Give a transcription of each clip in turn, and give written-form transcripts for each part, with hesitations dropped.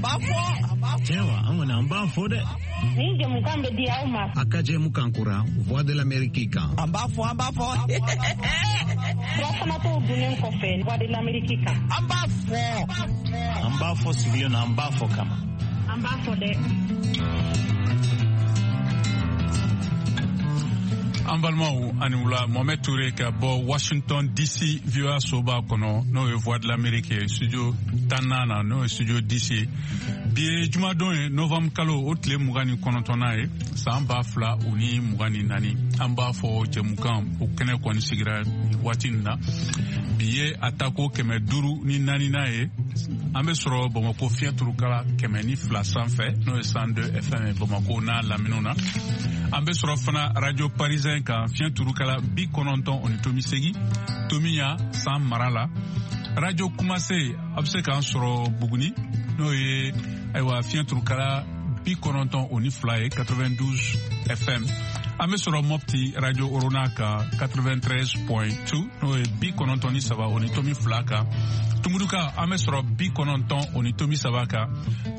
An b'a fɔ. Tiɲɛ wa, an kɔni an b'a fɔ dɛ. Nin jɛmukan bɛ di aw ma. A ka jɛmukan kura Voix de l'Amérique kan. An b'a fɔ, an b'a fɔ. Furafanatɔw dunnen kɔfɛ Voix de l'Amérique kan. An b'a fɔ. An b'a fɔ sigilen na, an b'a fɔ kama. An b'a fɔ dɛ. An balimaw, ani wula. Mohamed Toure ka bɔ Washington DC, VOA soba kɔnɔ, n'o ye Voix de l'Amérique ye, studio 14 na, n'o ye studio DC. Bi ye jumadon ye, novembre kalo o tile 29nan ye, san 2024. An b'a fɔ jɛmukan o kɛnɛ kɔni sigira waati nin na. Bi ye a tako 504nan ye. An bɛ sɔrɔ Bamako fiɲɛ turukala 102 sanfɛ, n'o ye 102 FM ye Bamako n'a laminiw na. An bɛ sɔrɔ fana Radio Parisien kan, fiɲɛ turukala 90.8, Tomiya san mara la. Radio Kumase, a bɛ se k'an sɔrɔ Buguni, n'o ye ayiwa fiɲɛ turukala 92 ye, 92 FM. An bɛ sɔrɔ Mopti Radio Orona kan, 93.2, n'o ye 93.2 kan. Tumuduka, an bɛ sɔrɔ 90.3 kan.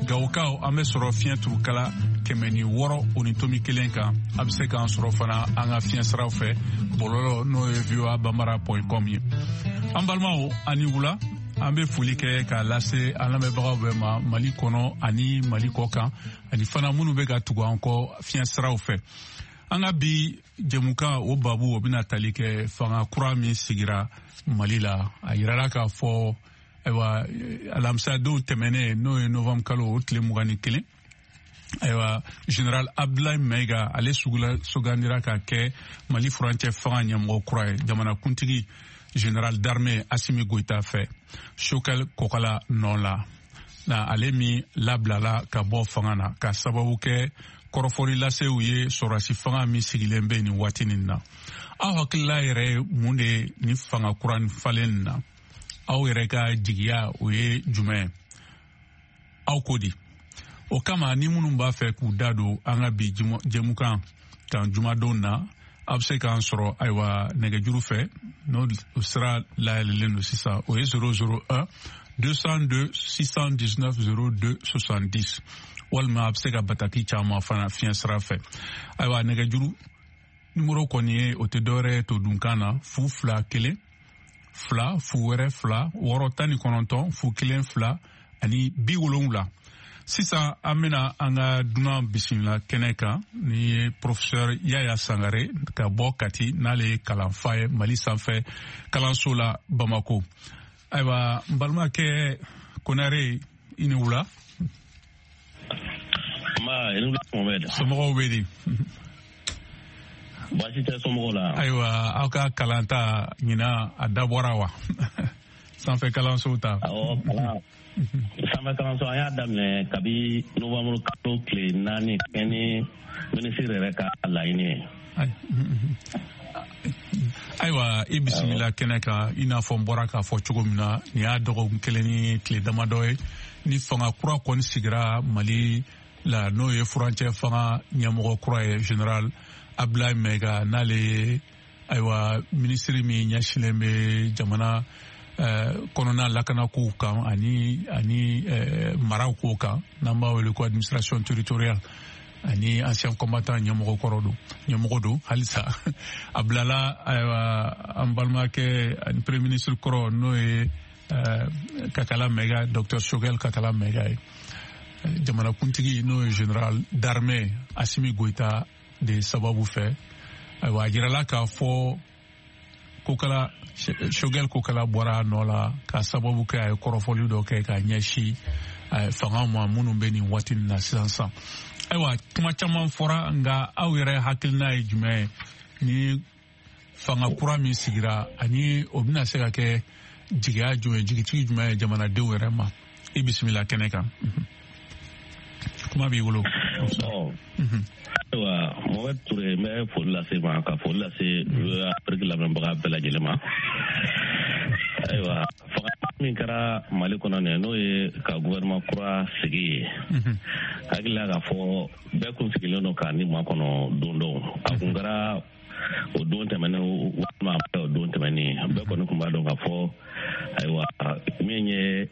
Gawokaw, an bɛ sɔrɔ fiɲɛ turukala 106.1 kan. A bɛ se k'an sɔrɔ fana an ka fiɲɛ siraw fɛ bɔlɔlɔ, n'o ye voa bambara com ye. An balimaw, ani wula. An bɛ foli kɛ k'a lase an lamɛnbagaw bɛɛ ma Mali kɔnɔ ani Mali kɔ kan, ani fana minnu bɛ ka tugu an kɔ fiɲɛ siraw fɛ. An ka bi jɛmukan o babu, o bɛna tali kɛ fanga kura min sigira Mali la. A yirala k'a fɔ ayiwa alamisadenw tɛmɛnen, n'o ye novembre kalo o tile 21, ayiwa général Abdoulaye Maïga, ale sugula sugandira ka kɛ Mali furancɛ fanga ɲɛmɔgɔ kura ye jamanakuntigi général d'armée Assimi Goïta fɛ, Choguel Kokala nɔ la na, ale min labilala ka bɔ fanga na ka sababu kɛ kɔrɔfɔli lasew ye sɔrɔdasi fanga min sigilen bɛ nin waati nin na. Aw hakilila yɛrɛ ye mun de ye nin fanga kura nin falen nin na? Aw yɛrɛ ka jigiya o ye jumɛn ye? Aw ko di? O kama, ni minnu b'a fɛ k'u da don an ka bi jɛmukan kan jumadon na, a bɛ se k'an sɔrɔ ayiwa nɛgɛjuru fɛ, n'o sira layɛlɛlen don sisan, o ye 001 202 619 02 70, walima a bɛ se ka bataki caman fana fiɲɛ sira fɛ. Ayiwa nɛgɛjuru nimoro kɔni ye, o tɛ dɔwɛrɛ ye to dunkan na, 021 0 wɛrɛ 2 6 19 0 1 2 ani 70. Sisan an bɛna an ka dunan bisimila kɛnɛ kan, ni ye professeur Yaya Sangare ka bɔ Kati, n'ale ye kalanfa ye Mali sanfɛ kalanso la Bamako. Ayiwa n balimakɛ Konare, i ni wula. Somɔgɔw bɛ di? Baasi tɛ somɔgɔw la. Ayiwa aw ka kalanta ɲinan a dabɔra wa, sanfɛ kalanso ta? Awɔ, kalan sanfɛ kalanso, an y'a daminɛ kabi novembre kalo tile 4, kɛ ni minisiri yɛrɛ ka laɲini ye. Ayiwa i bisimila kɛnɛ kan. I n'a fɔ n bɔra k'a fɔ cogo min na, nin y'a dɔgɔkun kelen ni tile damadɔ ye ni fanga kura kɔni sigira Mali la, n'o ye furancɛ fanga ɲɛmɔgɔ kura ye, général Abdoulaye Maïga, n'ale ye ayiwa minisiri min ɲɛsinnen bɛ jamana kɔnɔna lakanakow kan ani maraw kow kan, n'an b'a wele ko administration territoriale, ani ancien combattant ɲɛmɔgɔ kɔrɔ don, ɲɛmɔgɔ don halisa. A bilala ayiwa an balimakɛ ani premier ministre kɔrɔ, n'o ye Kakala Maïga, docteur Choguel Kakala Maïga ye, jamanakuntigi, n'o ye général d'armée Assimi Goïta de sababu fɛ. Ayiwa a jirala k'a fɔ Kokala, Choguel Kokala bɔra a nɔ la ka sababu kɛ a ye kɔrɔfɔli dɔ kɛ ka ɲɛsin fanga ma minnu bɛ nin waati nin na sisan sisan. Ayiwa kuma caman fɔra, nka aw yɛrɛ hakilina ye jumɛn ye ni fanga kura min sigira, ani o bɛna se ka kɛ jigiya jumɛn, jigitigi jumɛn ye jamanadenw yɛrɛ ma? I bisimila kɛnɛ kan, kuma b'i bolo. Ayiwa Mohamed Toure, n bɛ foli lase ma, ka foli lase Afiriki lamɛnbaga bɛɛ lajɛlen ma. Ayiwa fanga min kɛra Mali kɔnɔ nin, n'o ye ka gouvernement kura sigi ye, hakili la k'a fɔ bɛɛ kun sigilen don k'a ni makɔnɔ don dɔw. A kun kɛra o don tɛmɛnen walima a ma o don tɛmɛnen, bɛɛ kɔni kun b'a dɔn k'a fɔ ayiwa min ye